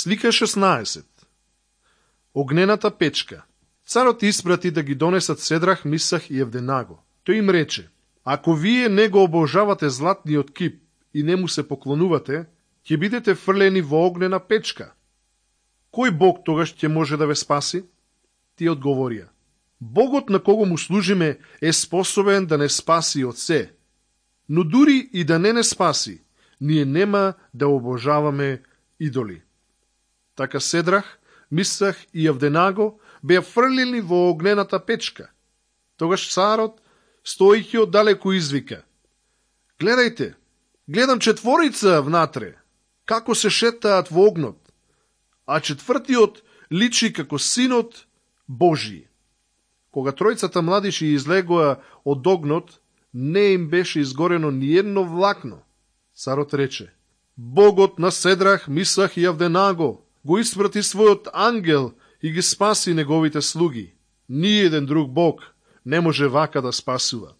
Слика 16. Огнената печка. Царот испрати да ги донесат Седрах, Мисах и Евденаго. Тој им рече: ако вие не го обожавате златниот кип и не му се поклонувате, ќе бидете фрлени во огнена печка. Кој Бог тогаш ќе може да ве спаси? Тие одговорија: Богот на кого му служиме е способен да не спаси од се. Но дури и да не спаси, ние нема да обожаваме идоли. Така Седрах, Мисах и Евденаго беа фрлени во огнената печка. Тогаш царот, стојќи оддалеку, извика: гледајте, гледам четворица внатре, како се шетаат во огнот, а четвртиот личи како синот Божи. Кога тројцата младиши излегоа од огнот, не им беше изгорено ни едно влакно. Царот рече: Богот на Седрах, Мисах и Евденаго го испрати својот ангел и ги спаси неговите слуги. Ни еден друг Бог не може вака да спасува.